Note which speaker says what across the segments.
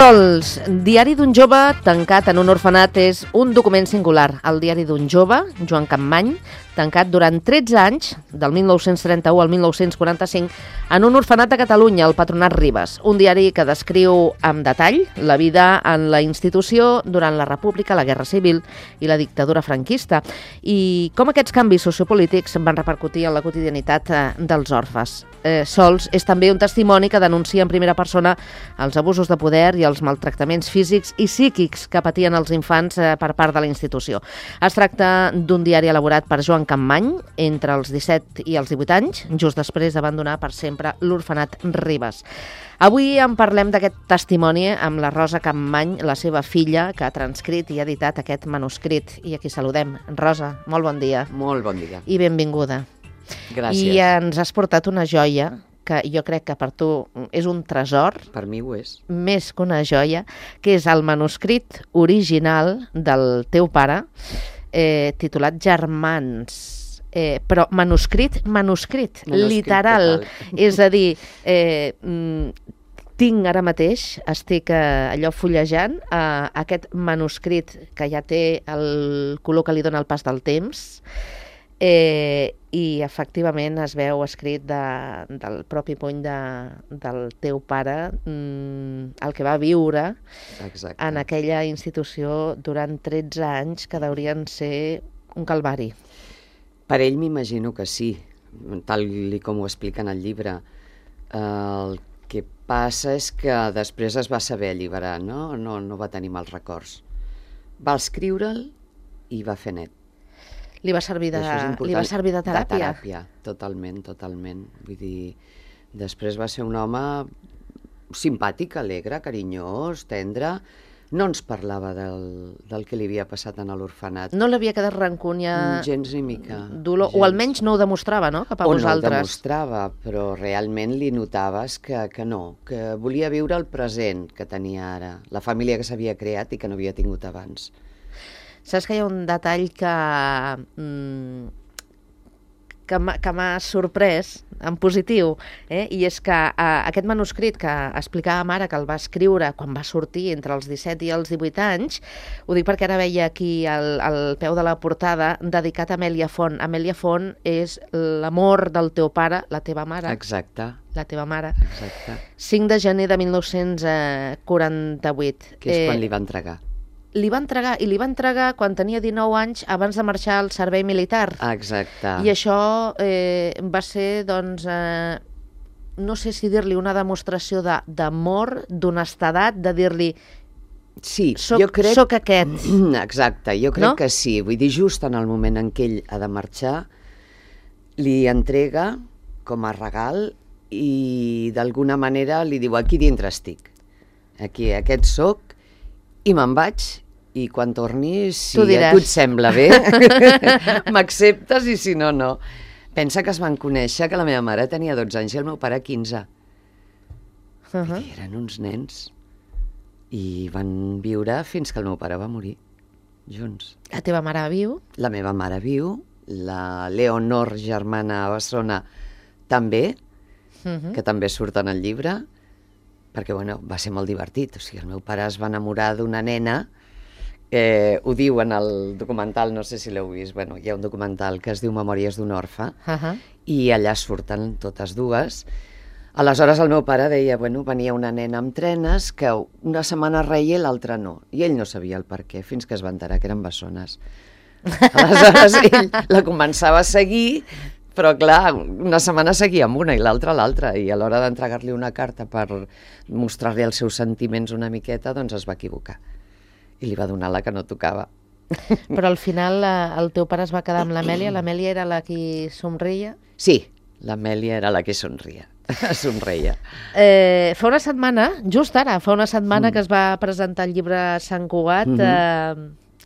Speaker 1: Sols, diari d'un jove tancat en un orfenat és un document singular. El diari d'un jove, Joan Campmany, tancat durant 13 anys, del 1931 al 1945, en un orfenat de Catalunya, el Patronat Ribes. Un diari que descriu amb detall la vida en la institució durant la República, la Guerra Civil i la dictadura franquista, i com aquests canvis sociopolítics van repercutir en la quotidianitat dels orfes. Sols és també un testimoni que denuncia en primera persona els abusos de poder i els maltractaments físics i psíquics que patien els infants per part de la institució. Es tracta d'un diari elaborat per Joan Campmany entre els 17 i els 18 anys, just després d'abandonar per sempre l'orfenat Ribes. Avui en parlem d'aquest testimoni amb la Rosa Campmany, la seva filla, que ha transcrit i editat aquest manuscrit. I aquí saludem. Rosa, molt bon dia.
Speaker 2: Molt bon dia.
Speaker 1: I benvinguda.
Speaker 2: Gràcies.
Speaker 1: I ens has portat una joia que jo crec que per tu és un tresor.
Speaker 2: Per mi ho és.
Speaker 1: Més que una joia, que és el manuscrit original del teu pare, titulat Germans. Però manuscrit, literal. És a dir, tinc ara mateix, estic allò fullejant aquest manuscrit que ja té el color que li dona el pas del temps, i efectivament es veu escrit del propi puny del teu pare, el que va viure.
Speaker 2: Exacte.
Speaker 1: En aquella institució durant 13 anys que deurien ser un calvari.
Speaker 2: Per ell m'imagino que sí, tal com ho explica en el llibre. El que passa és que després es va saber alliberar, no va tenir mals records. Va escriure'l i va fer net.
Speaker 1: Li va servir de teràpia?
Speaker 2: De teràpia, totalment. Vull dir, després va ser un home simpàtic, alegre, carinyós, tendre. No ens parlava del que li havia passat en l'orfenat.
Speaker 1: No l'havia quedat rancúnia?
Speaker 2: Gens ni mica.
Speaker 1: Dolor, gens. O almenys no ho demostrava, no?, cap a vosaltres.
Speaker 2: O no ho demostrava, però realment li notaves que no, que volia viure el present que tenia ara, la família que s'havia creat i que no havia tingut abans.
Speaker 1: Saps que hi ha un detall que m'ha sorprès, en positiu, i és que aquest manuscrit que explicàvem ara, que el va escriure quan va sortir entre els 17 i els 18 anys, ho dic perquè ara veia aquí al peu de la portada, dedicat a Amèlia Font. Amèlia Font és l'amor del teu pare, la teva mare.
Speaker 2: Exacte.
Speaker 1: La teva mare.
Speaker 2: Exacte.
Speaker 1: 5 de gener de 1948.
Speaker 2: Que és quan li va entregar.
Speaker 1: Li va entregar quan tenia 19 anys, abans de marxar al servei militar.
Speaker 2: Exacte.
Speaker 1: I això va ser, doncs, no sé si dir-li una demostració d'amor, d'honestedat, de dir-li,
Speaker 2: sí,
Speaker 1: soc aquest.
Speaker 2: Exacte, jo crec que sí. Vull dir, just en el moment en què ell ha de marxar, li entrega com a regal i d'alguna manera li diu, aquí dintre estic. Aquí, aquest soc, i me'n vaig. I quan torni, si a tu et sembla bé, m'acceptes i si no, no. Pensa que es van conèixer que la meva mare tenia 12 anys i el meu pare 15. I eren uns nens. I van viure fins que el meu pare va morir, junts.
Speaker 1: La teva mare viu?
Speaker 2: La meva mare viu, la Leonor, germana a Bessona, també, que també surt en el llibre, perquè va ser molt divertit. O sigui, el meu pare es va enamorar d'una nena. Ho diu en el documental, no sé si l'heu vist, hi ha un documental que es diu Memòries d'un orfe, i allà surten totes dues. Aleshores el meu pare deia, venia una nena amb trenes que una setmana reia i l'altra no, i ell no sabia el per què, fins que es va enterar que eren bessones. Aleshores ell la començava a seguir, però clar, una setmana seguia amb una i l'altra a l'altra, i a l'hora d'entregar-li una carta per mostrar-li els seus sentiments una miqueta, doncs es va equivocar. I li va donar la que no tocava.
Speaker 1: Però al final el teu pare es va quedar amb l'Amèlia? L'Amèlia era la qui somreia?
Speaker 2: Sí, l'Amèlia era la que somreia.
Speaker 1: Fa una setmana, just ara, que es va presentar el llibre Sant Cugat,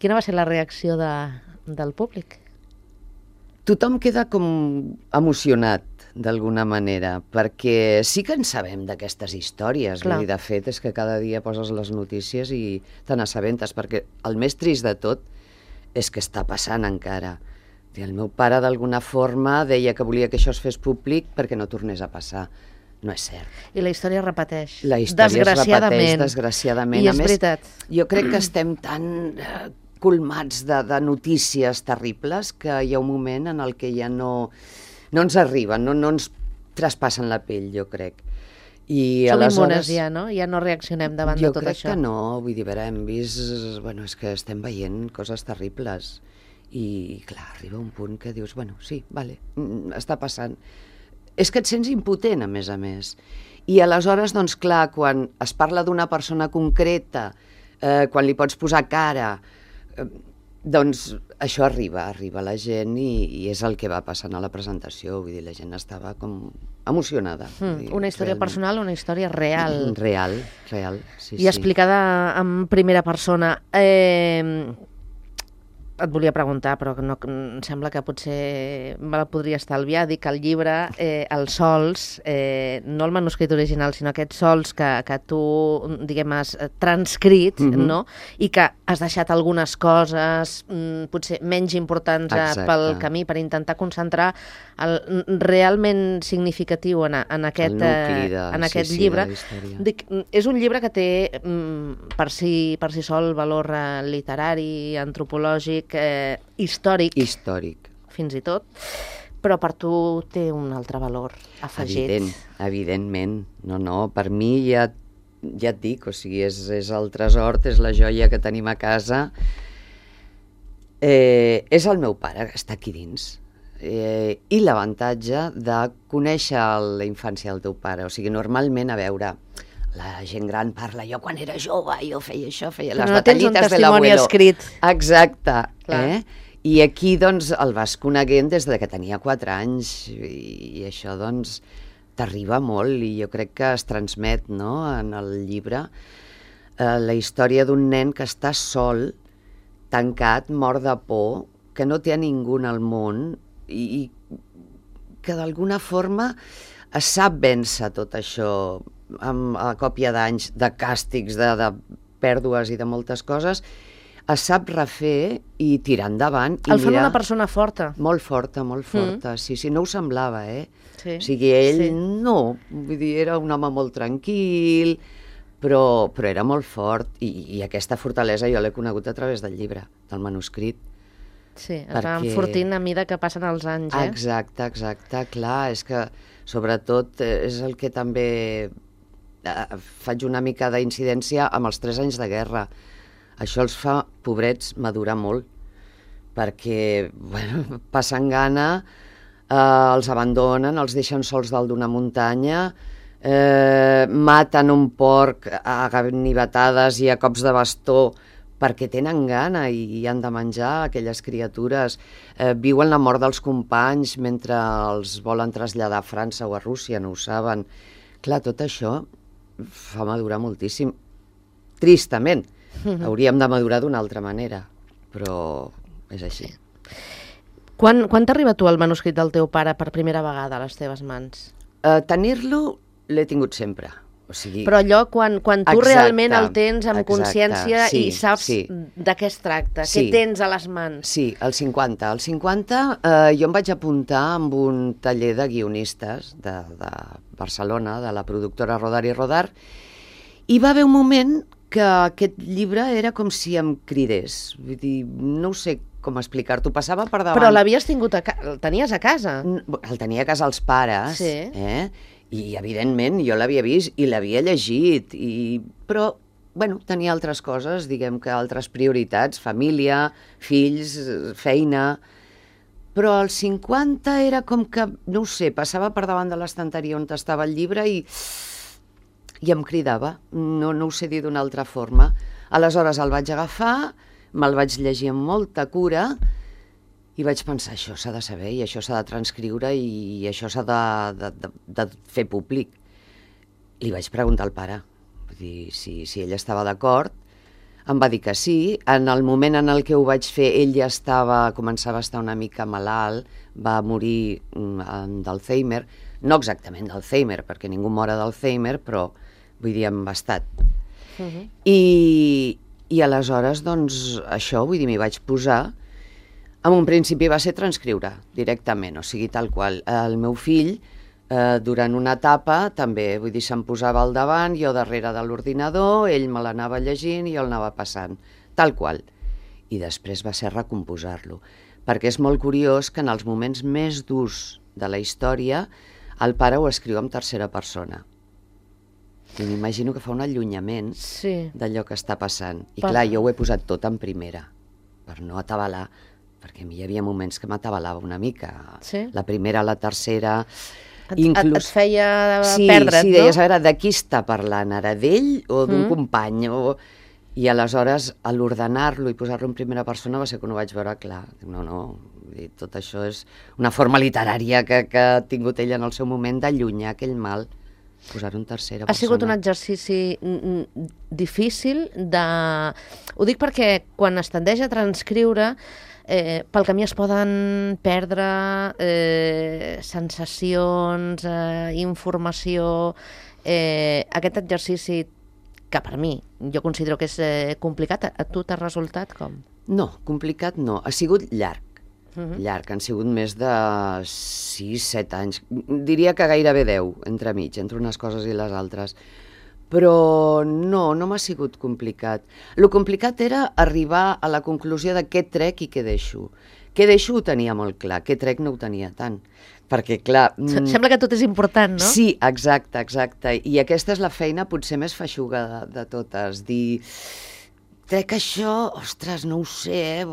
Speaker 1: quina va ser la reacció del públic?
Speaker 2: Tothom queda com emocionat, d'alguna manera, perquè sí que en sabem d'aquestes històries. Vull dir, de fet, és que cada dia poses les notícies i te n'assabentes, perquè el més trist de tot és que està passant encara. El meu pare, d'alguna forma, deia que volia que això es fes públic perquè no tornés a passar. no és cert.
Speaker 1: I la història es repeteix.
Speaker 2: La història es repeteix, desgraciadament.
Speaker 1: I és veritat.
Speaker 2: Jo crec que estem tan colmats de notícies terribles que hi ha un moment en el que ja no ens arriben, no ens traspassen la pell, jo crec. I
Speaker 1: som
Speaker 2: aleshores,
Speaker 1: immunes ja, no? Ja no reaccionem davant de tot això.
Speaker 2: Jo crec que no, vull dir, hem vist... Bueno, és que estem veient coses terribles. I, clar, arriba un punt que dius, bueno, sí, vale, està passant. És que et sents impotent, a més. I aleshores, doncs clar, quan es parla d'una persona concreta, quan li pots posar cara, doncs això arriba a la gent i és el que va passant a la presentació. Vull dir, la gent estava com emocionada.
Speaker 1: Una història personal, una història real.
Speaker 2: Real, sí.
Speaker 1: I explicada en primera persona. Et volia preguntar, però no, em sembla que potser me la podria estalviar. Dic que el llibre, els sols, no el manuscrit original, sinó aquests sols que tu, diguem, has transcrit, no? I que has deixat algunes coses potser menys importants pel camí per intentar concentrar el realment significatiu en aquest llibre. Dic, és un llibre que té per si sol valor literari, antropològic, històric, fins i tot, però per tu té un altre valor afegit.
Speaker 2: Evidentment. No, per mi ja et dic, o sigui, és el tresor, és la joia que tenim a casa. És el meu pare, que està aquí dins. I l'avantatge de conèixer la infància del teu pare. O sigui, normalment, a veure, la gent gran parla, jo quan era jove, jo feia això, feia les batallites de l'abuelo.
Speaker 1: Escrit.
Speaker 2: Exacte. I aquí, doncs, el vas coneguent des de que tenia 4 anys i això, doncs, t'arriba molt i jo crec que es transmet, no?, en el llibre la història d'un nen que està sol, tancat, mort de por, que no té a ningú al món i que d'alguna forma es sap vèncer tot això a còpia d'anys, de càstigs, de pèrdues i de moltes coses, es sap refer i tirar endavant.
Speaker 1: El fan una persona forta.
Speaker 2: Molt forta. Sí, no ho semblava, Sí. O sigui, ell no, vull dir, era un home molt tranquil, però era molt fort i aquesta fortalesa jo l'he conegut a través del llibre, del manuscrit.
Speaker 1: Sí, es va enfortint a mida que passen els anys,
Speaker 2: Exacte, clar, és que sobretot és el que també faig una mica d'incidència amb els 3 anys de guerra. Això els fa, pobrets, madurar molt, perquè passen gana, els abandonen, els deixen sols dalt d'una muntanya, maten un porc a ganivetades i a cops de bastó perquè tenen gana i han de menjar aquelles criatures, viuen la mort dels companys mentre els volen traslladar a França o a Rússia, no ho saben. Clar, tot això fa madurar moltíssim. Tristament. Hauríem de madurar d'una altra manera, però és així.
Speaker 1: Quan t'arriba tu el manuscrit del teu pare per primera vegada a les teves mans?
Speaker 2: Tenir-lo l'he tingut sempre. O sigui,
Speaker 1: però allò, quan tu realment el tens amb consciència i saps de què es tracta, què tens a les mans.
Speaker 2: Sí, el 50. El 50 jo em vaig apuntar amb un taller de guionistes de Barcelona, de la productora Rodar i Rodar, i va haver un moment que aquest llibre era com si em cridés. Vull dir, no ho sé com explicar-t'ho, passava per davant.
Speaker 1: Però l'havies tingut el tenies a casa?
Speaker 2: El tenia a casa els pares, i evidentment jo l'havia vist i l'havia llegit, però tenia altres coses, diguem que altres prioritats, família, fills, feina. Però als 50 era com que, no ho sé, passava per davant de l'estanteria on estava el llibre i em cridava, no ho sé dir d'una altra forma. Aleshores el vaig agafar, me'l vaig llegir amb molta cura i vaig pensar, això s'ha de saber i això s'ha de transcriure i això s'ha de fer públic. Li vaig preguntar al pare, vull dir, si ell estava d'acord. Em va dir que sí. En el moment en el que ho vaig fer, ell ja començava a estar una mica malalt, va morir d'Alzheimer, no exactament d'Alzheimer, perquè ningú mora d'Alzheimer, però vull dir, amb estat. I aleshores, doncs, això, vull dir, m'hi vaig posar. En un principi va ser transcriure directament, o sigui, tal qual. El meu fill Durant una etapa, també, vull dir, se'm posava al davant, jo darrere de l'ordinador, ell me l'anava llegint i jo el anava passant, tal qual. I després va ser recomposar-lo, perquè és molt curiós que en els moments més durs de la història el pare ho escriu en tercera persona. I m'imagino que fa un allunyament d'allò que està passant. I clar, jo ho he posat tot en primera, per no atabalar, perquè a mi hi havia moments que m'atabalava una mica. La primera, la tercera...
Speaker 1: Et feia perdre't, no?
Speaker 2: Sí, deies, a veure, de qui està parlant ara, d'ell o d'un company? I aleshores, a l'ordenar-lo i posar-lo en primera persona va ser quan ho vaig veure clar. No, tot això és una forma literària que ha tingut ell en el seu moment d'allunyar aquell mal, posar-ho en tercera persona.
Speaker 1: Ha sigut un exercici difícil de... Ho dic perquè quan es tendeix a transcriure, pel camí es poden perdre sensacions, informació. Aquest exercici, que per mi jo considero que és complicat, a tu t'ha resultat com?
Speaker 2: No, complicat no. Ha sigut llarg. Llarg, han sigut més de 6-7 anys. Diria que gairebé 10, entremig, entre unes coses i les altres. Però no m'ha sigut complicat. Lo complicat era arribar a la conclusió de què trec i què deixo. Què deixo ho tenia molt clar, què trec no ho tenia tant. Perquè, clar...
Speaker 1: Sembla que tot és important, no?
Speaker 2: Sí, exacte. I aquesta és la feina potser més feixuga de totes. Dir, trec això, ostres, no ho sé,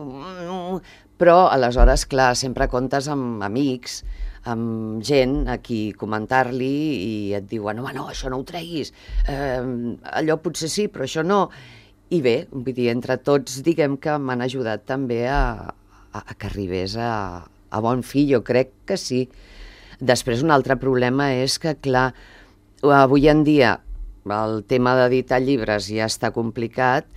Speaker 2: però aleshores, clar, sempre comptes amb amics, amb gent a qui comentar-li i et diuen, home, no, això no ho treguis, allò potser sí, però això no. I bé, vull dir, entre tots, diguem que m'han ajudat també a que arribés a bon fi, jo crec que sí. Després, un altre problema és que, clar, avui en dia el tema d'editar llibres ja està complicat.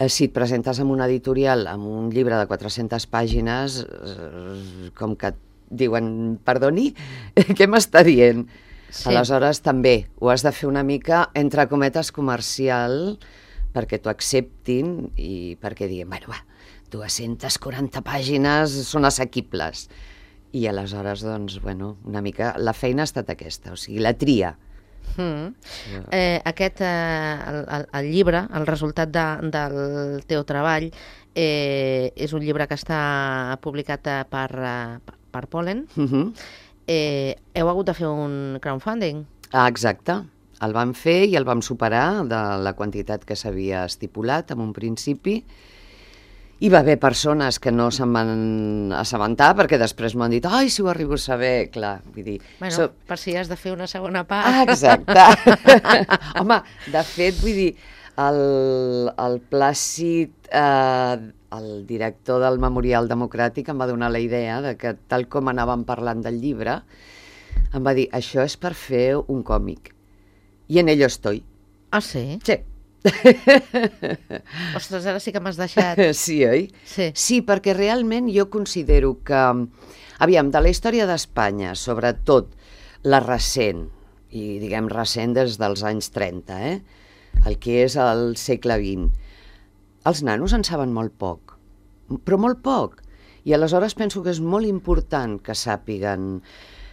Speaker 2: Si et presentes en una editorial amb un llibre de 400 pàgines, com que diuen, perdoni, què m'està dient? Sí. Aleshores també ho has de fer una mica, entre cometes, comercial, perquè t'ho acceptin i perquè diguin, bueno, 240 pàgines són assequibles. I aleshores, doncs, bueno, una mica la feina ha estat aquesta, o sigui, la tria.
Speaker 1: Aquest, el llibre, el resultat del teu treball, és un llibre que està publicat per Pollen. Heu hagut de fer un crowdfunding?
Speaker 2: Exacte. El vam fer i el vam superar de la quantitat que s'havia estipulat en un principi. Hi va haver persones que no se'n van assabentar perquè després m'han dit, ai, si ho arribo a saber, clar, vull dir...
Speaker 1: Bueno, per si has de fer una segona part.
Speaker 2: Exacte. Home, de fet, vull dir, el Plàcid, el director del Memorial Democràtic, em va donar la idea de que, tal com anàvem parlant del llibre, em va dir, això és per fer un còmic. I en ello estoy.
Speaker 1: Ah, sí?
Speaker 2: Sí.
Speaker 1: Ostres, ara sí que m'has deixat.
Speaker 2: Sí, oi? Sí, perquè realment jo considero que, aviam, de la història d'Espanya, sobretot la recent, i diguem recent des dels anys 30, el que és el segle XX, els nanos en saben molt poc, però molt poc. I aleshores penso que és molt important que sàpiguen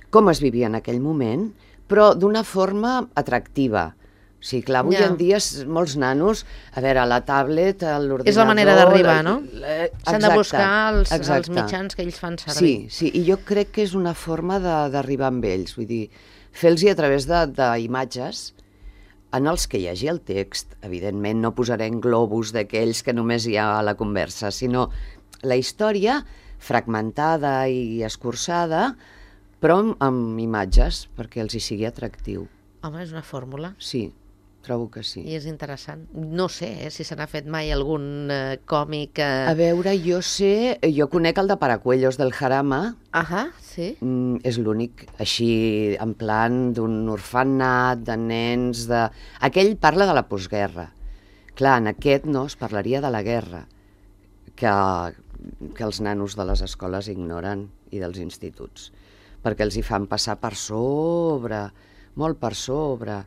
Speaker 2: com es vivia en aquell moment, però d'una forma atractiva. O sigui, clar, avui en dia molts nanos, a veure, la tablet, l'ordinador...
Speaker 1: És la manera d'arribar, no? S'han de buscar els mitjans que ells fan servir.
Speaker 2: Sí, i jo crec que és una forma d'arribar amb ells, vull dir, fer-los a través d'imatges en els que hi hagi el text. Evidentment no posarem globus d'aquells que només hi ha a la conversa, sinó la història fragmentada i escurçada, però amb imatges, perquè els hi sigui atractiu.
Speaker 1: Home, és una fórmula.
Speaker 2: Sí, trobo que sí.
Speaker 1: I és interessant. No sé si se n'ha fet mai algun còmic...
Speaker 2: A veure, jo conec el de Paracuellos del Jarama.
Speaker 1: Sí.
Speaker 2: És l'únic, així, en plan d'un orfenat, de nens, de... Aquell parla de la postguerra. Clar, en aquest no, es parlaria de la guerra, que els nanos de les escoles ignoren i dels instituts, perquè els hi fan passar per sobre... molt per sobre,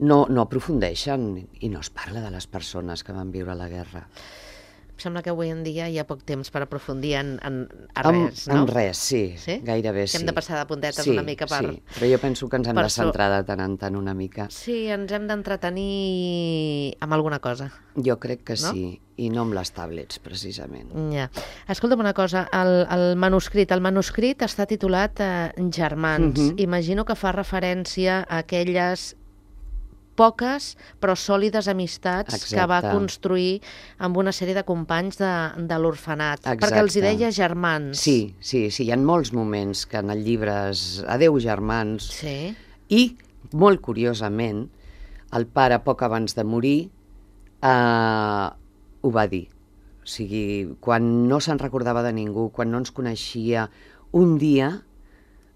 Speaker 2: no aprofundeixen i no es parla de les persones que van viure la guerra.
Speaker 1: sembla que avui en dia hi ha poc temps per aprofundir en res, no?
Speaker 2: En res, sí, gairebé sí.
Speaker 1: Hem de passar de puntetes una mica per...
Speaker 2: Sí, però jo penso que ens hem de centrar de tant en tant una mica.
Speaker 1: Sí, ens hem d'entretenir amb alguna cosa.
Speaker 2: Jo crec que sí, i no amb les tablets, precisament.
Speaker 1: Ja. Escolta'm una cosa, el manuscrit està titulat Germans. Imagino que fa referència a aquelles poques però sòlides amistats que va construir amb una sèrie de companys de l'orfenat, perquè els hi deia germans.
Speaker 2: Sí, hi ha molts moments que en el llibre és adeu germans, i molt curiosament el pare poc abans de morir ho va dir. O sigui, quan no se'n recordava de ningú, quan no ens coneixia, un dia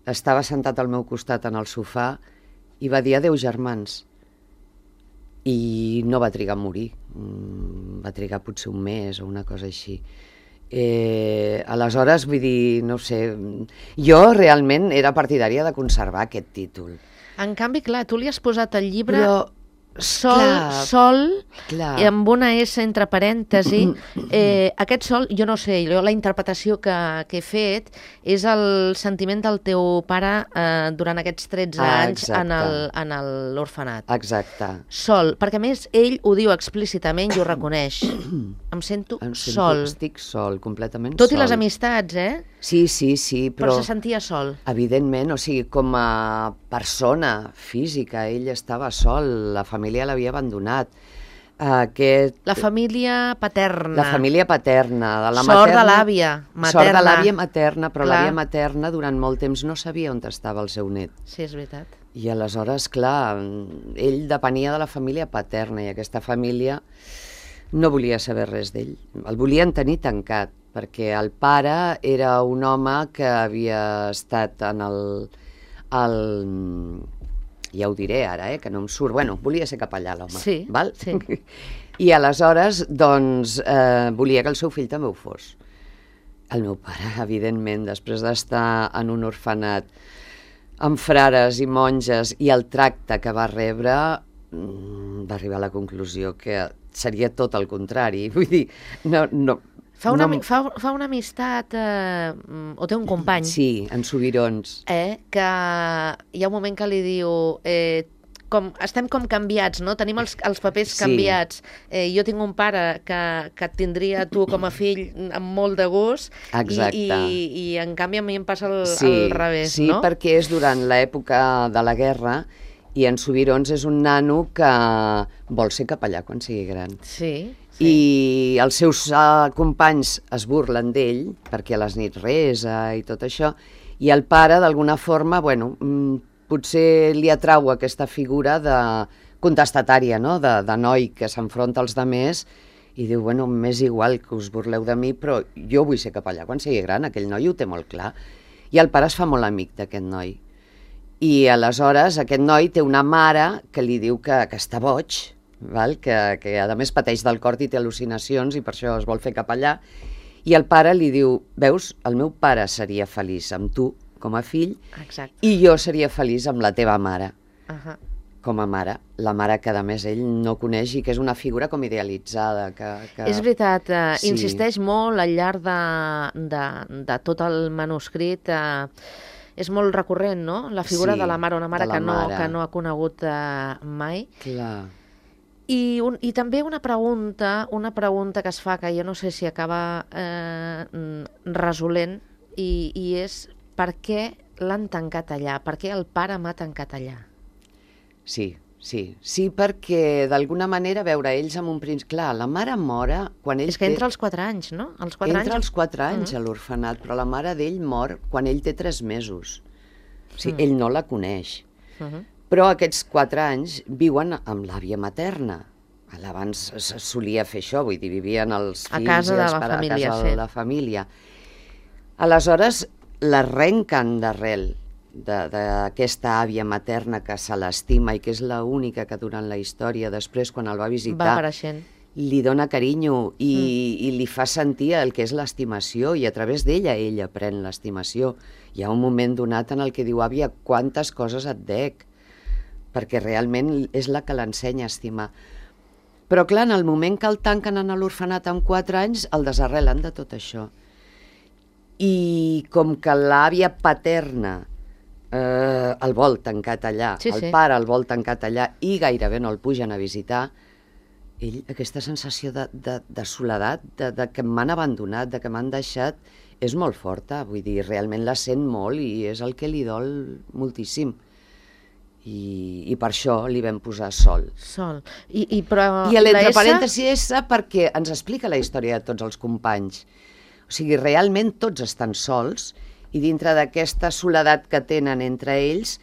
Speaker 2: estava sentat al meu costat en el sofà i va dir adeu germans. I no va trigar a morir, va trigar potser un mes o una cosa així. Aleshores, vull dir, no sé, jo realment era partidària de conservar aquest títol.
Speaker 1: En canvi, clar, tu li has posat al llibre sol, i amb una S entre parèntesi. Aquest sol, jo no sé, la interpretació que he fet és el sentiment del teu pare durant aquests 13 anys en l'orfenat.
Speaker 2: Exacte.
Speaker 1: Sol, perquè a més ell ho diu explícitament i ho reconeix. Em sento sol.
Speaker 2: Estic sol, completament sol.
Speaker 1: Tot i les amistats,
Speaker 2: Sí,
Speaker 1: però se sentia sol.
Speaker 2: Evidentment, o sigui, com a persona física, ell estava sol, la família l'havia abandonat.
Speaker 1: La família paterna.
Speaker 2: La família paterna.
Speaker 1: Sort de l'àvia materna.
Speaker 2: Sort de l'àvia materna, però l'àvia materna durant molt temps no sabia on estava el seu net.
Speaker 1: Sí, és veritat.
Speaker 2: I aleshores, clar, ell depenia de la família paterna i aquesta família no volia saber res d'ell. El volien tenir tancat, perquè el pare era un home que havia estat en ja ho diré ara, que no em surt. Bueno, volia ser capellà, l'home.
Speaker 1: Sí,
Speaker 2: val?
Speaker 1: Sí.
Speaker 2: I aleshores, doncs, volia que el seu fill també ho fos. El meu pare, evidentment, després d'estar en un orfenat amb frares i monges i el tracte que va rebre, va arribar a la conclusió que seria tot el contrari. Vull dir, no...
Speaker 1: Fa una amistat, o té un company...
Speaker 2: Sí, en Subirons.
Speaker 1: Que hi ha un moment que li diu... estem com canviats, no? Tenim els papers canviats. Jo tinc un pare que et tindria tu com a fill amb molt de gust.
Speaker 2: Exacte.
Speaker 1: I en canvi a mi em passa al revés,
Speaker 2: no? Sí,
Speaker 1: no?
Speaker 2: perquè és durant l'època de la guerra i en Subirons és un nano que vol ser capellà quan sigui gran.
Speaker 1: Sí.
Speaker 2: I els seus companys es burlen d'ell perquè a les nits resa i tot això, i el pare d'alguna forma, bueno, potser li atrau aquesta figura de contestatària, no? De noi que s'enfronta als demés i diu, bueno, m'és igual que us burleu de mi, però jo vull ser capellà quan sigui gran. Aquell noi ho té molt clar. I el pare es fa molt amic d'aquest noi. I aleshores aquest noi té una mare que li diu que està boig, val? Que a més pateix del cor i té al·lucinacions i per això es vol fer capellà, i el pare li diu, veus, el meu pare seria feliç amb tu com a fill.
Speaker 1: Exacte.
Speaker 2: I jo seria feliç amb la teva mare com a mare, la mare que a més ell no coneix i que és una figura com idealitzada.
Speaker 1: És veritat, insisteix molt al llarg de tot el manuscrit, és molt recurrent, no? La figura de la mare, una mare que no ha conegut mai.
Speaker 2: Clar.
Speaker 1: I també una pregunta que es fa, que jo no sé si acaba resolent, i és per què l'han tancat allà? Per què el pare m'ha tancat allà?
Speaker 2: Sí, perquè d'alguna manera, veure, ells amb un principi... Clar, la mare mora quan ell
Speaker 1: És que entra als 4 anys, no?
Speaker 2: Entra als 4 anys a l'orfenat, però la mare d'ell mor quan ell té 3 mesos. O sigui, ell no la coneix. Però aquests 4 anys viuen amb l'àvia materna. Abans es solia fer això, vull dir, vivien els fills
Speaker 1: a casa
Speaker 2: i els pares a casa de la família. Aleshores, l'arrenquen d'arrel d'aquesta àvia materna que se l'estima i que és l'única que durant la història, després quan el va visitar, li dona carinyo i li fa sentir el que és l'estimació, i a través d'ella ell aprèn l'estimació. Hi ha un moment donat en el que diu, àvia, quantes coses et dec, perquè realment és la que l'ensenya a estimar. Però clar, en el moment que el tanquen en l'orfenat amb 4 anys, el desarrelen de tot això. I com que l'àvia paterna el vol tancat allà, el pare el vol tancat allà i gairebé no el pugen a visitar, ell, aquesta sensació de soledat, de que m'han abandonat, de que m'han deixat, és molt forta. Vull dir, realment la sent molt i és el que li dol moltíssim. I per això li vam posar Sol.
Speaker 1: Sol.
Speaker 2: I l'entre parèntesis S perquè ens explica la història de tots els companys. O sigui, realment tots estan sols i dintre d'aquesta soledat que tenen entre ells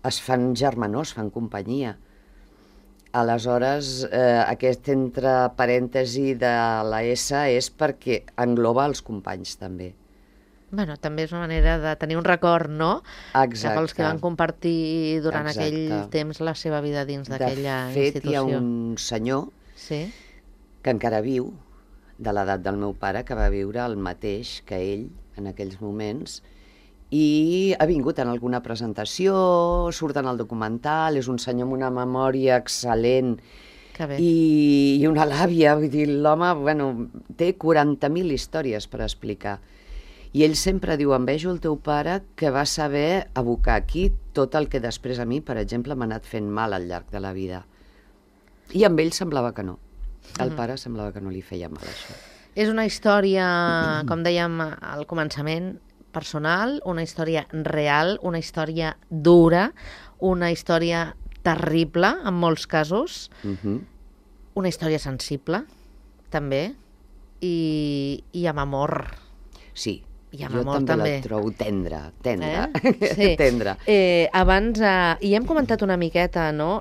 Speaker 2: es fan germanors, fan companyia. Aleshores, aquest entre parèntesi de la S és perquè engloba els companys també.
Speaker 1: Bueno, també és una manera de tenir un record, no?
Speaker 2: Exacte.
Speaker 1: Cap als que van compartir durant aquell temps la seva vida dins d'aquella institució.
Speaker 2: De fet, hi ha un senyor que encara viu, de l'edat del meu pare, que va viure el mateix que ell en aquells moments i ha vingut en alguna presentació, surt en el documental, és un senyor amb una memòria excel·lent i una làbia, vull dir, l'home, bueno, té 40.000 històries per explicar. I ell sempre diu, envejo el teu pare que va saber abocar aquí tot el que després a mi, per exemple, m'ha anat fent mal al llarg de la vida. I amb ell semblava que no. El pare semblava que no li feia mal, això.
Speaker 1: És una història, com dèiem al començament, personal, una història real, una història dura, una història terrible, en molts casos, una història sensible, també, i amb amor.
Speaker 2: Sí, jo també la trobo tendra. Tendra.
Speaker 1: Abans, i hem comentat una miqueta, no?,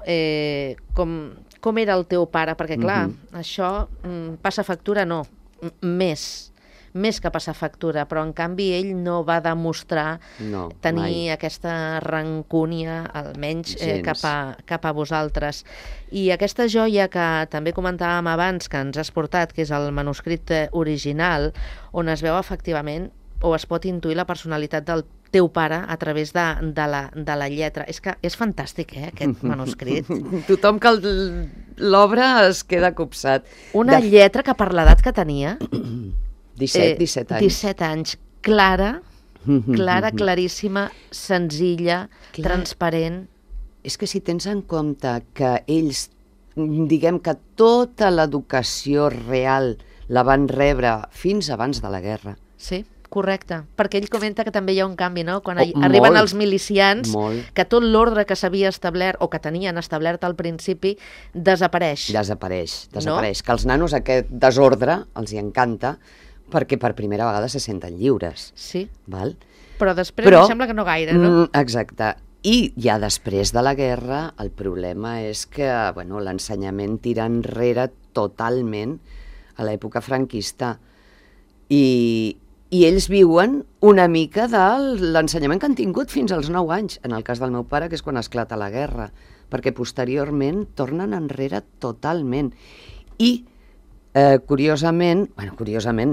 Speaker 1: com era el teu pare, perquè clar, això passa factura, no, més que passar factura, però en canvi ell no va demostrar tenir aquesta rancúnia, almenys cap a vosaltres. I aquesta joia que també comentàvem abans, que ens has portat, que és el manuscrit original, on es veu efectivament, o es pot intuir la personalitat del teu pare a través de la lletra. És que és fantàstic, aquest manuscrit.
Speaker 2: Tothom que l'obre es queda copsat.
Speaker 1: Una lletra que per l'edat que tenia...
Speaker 2: 17 anys.
Speaker 1: 17 anys. Clara, claríssima, senzilla, transparent.
Speaker 2: És que si tens en compte que ells, diguem que tota l'educació real la van rebre fins abans de la guerra.
Speaker 1: Sí, correcte. Perquè ell comenta que també hi ha un canvi, no? Quan arriben els milicians, que tot l'ordre que s'havia establert, o que tenien establert al principi, desapareix.
Speaker 2: Desapareix. Que els nanos aquest desordre els hi encanta, perquè per primera vegada se senten lliures.
Speaker 1: Sí,
Speaker 2: val?
Speaker 1: Però després em sembla que no gaire, no?
Speaker 2: Exacte. I ja després de la guerra el problema és que l'ensenyament tira enrere totalment a l'època franquista. I ells viuen una mica de l'ensenyament que han tingut fins als 9 anys, en el cas del meu pare, que és quan esclata la guerra, perquè posteriorment tornen enrere totalment. I curiosament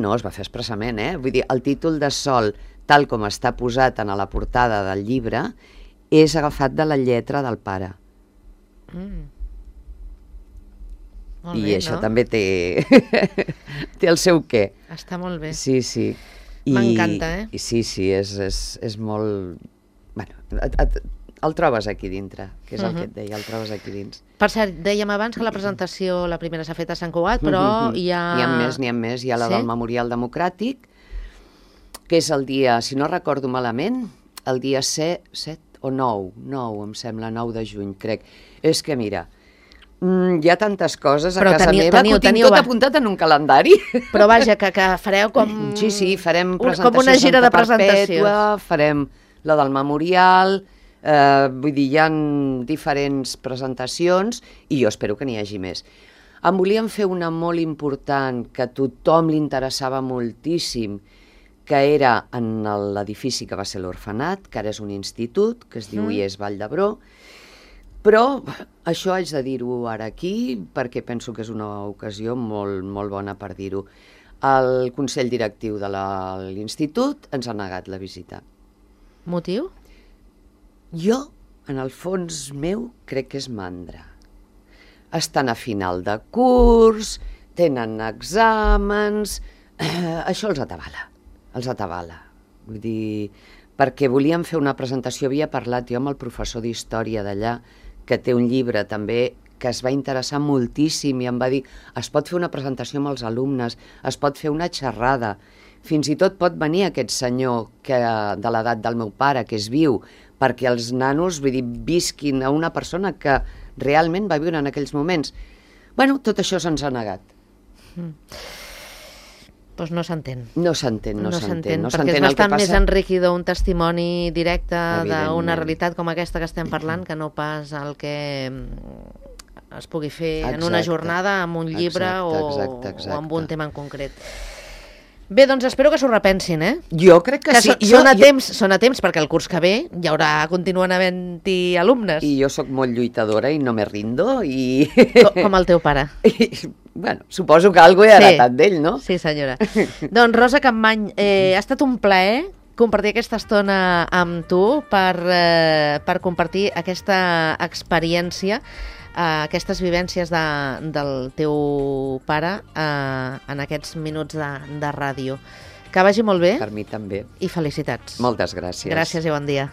Speaker 2: no, es va fer expressament, vull dir, el títol de Sol, tal com està posat en la portada del llibre, és agafat de la lletra del pare. I això també té el seu què.
Speaker 1: Està molt bé.
Speaker 2: Sí.
Speaker 1: M'encanta,
Speaker 2: Sí, és molt... El trobes aquí dintre, que és el que et deia, el trobes aquí dins.
Speaker 1: Per cert, dèiem abans que la presentació, la primera s'ha fet a Sant Cugat, però hi ha...
Speaker 2: N'hi ha més, hi ha la del Memorial Democràtic, que és el dia, si no recordo malament, el dia 7 o 9, em sembla, 9 de juny, crec. És que mira, hi ha tantes coses a casa meva que ho tinc tot apuntat en un calendari.
Speaker 1: Però vaja, que fareu com...
Speaker 2: Sí, farem presentació
Speaker 1: com una gira de presentacions.
Speaker 2: Farem la del Memorial... vull dir, hi ha diferents presentacions i jo espero que n'hi hagi més. Em volíem fer una molt important que a tothom li interessava moltíssim, que era en l'edifici que va ser l'orfenat, que ara és un institut, que es diu IES Vall d'Hebron, però això haig de dir-ho ara aquí perquè penso que és una ocasió molt, molt bona per dir-ho. El Consell Directiu de l'Institut ens ha negat la visita.
Speaker 1: Motiu?
Speaker 2: Jo, en el fons meu, crec que és mandra. estan a final de curs, tenen exàmens... Això els atabala. Vull dir, perquè volíem fer una presentació, havia parlat jo amb el professor d'història d'allà, que té un llibre també que es va interessar moltíssim i em va dir, es pot fer una presentació amb els alumnes, es pot fer una xerrada, fins i tot pot venir aquest senyor de l'edat del meu pare, que és viu, perquè els nanos, vull dir, visquin a una persona que realment va viure en aquells moments. Bueno, tot això se'ns ha negat.
Speaker 1: Doncs no s'entén.
Speaker 2: No s'entén.
Speaker 1: Perquè és bastant més enriquidor un testimoni directe d'una realitat com aquesta que estem parlant que no pas el que es pugui fer en una jornada, amb un llibre o amb un tema en concret. Bé, doncs espero que s'ho repensin, eh?
Speaker 2: Jo crec que sí.
Speaker 1: Són a temps, perquè el curs que ve continuen havent-hi alumnes.
Speaker 2: I jo sóc molt lluitadora i no me rindo.
Speaker 1: Com el teu pare.
Speaker 2: Bueno, suposo que alguna cosa he heretat d'ell, no?
Speaker 1: Sí, senyora. Doncs Rosa Campmany, ha estat un plaer compartir aquesta estona amb tu per compartir aquesta experiència, aquestes vivències del teu pare en aquests minuts de ràdio. Que vagi molt bé.
Speaker 2: Per mi també.
Speaker 1: I felicitats.
Speaker 2: Moltes gràcies.
Speaker 1: Gràcies i bon dia.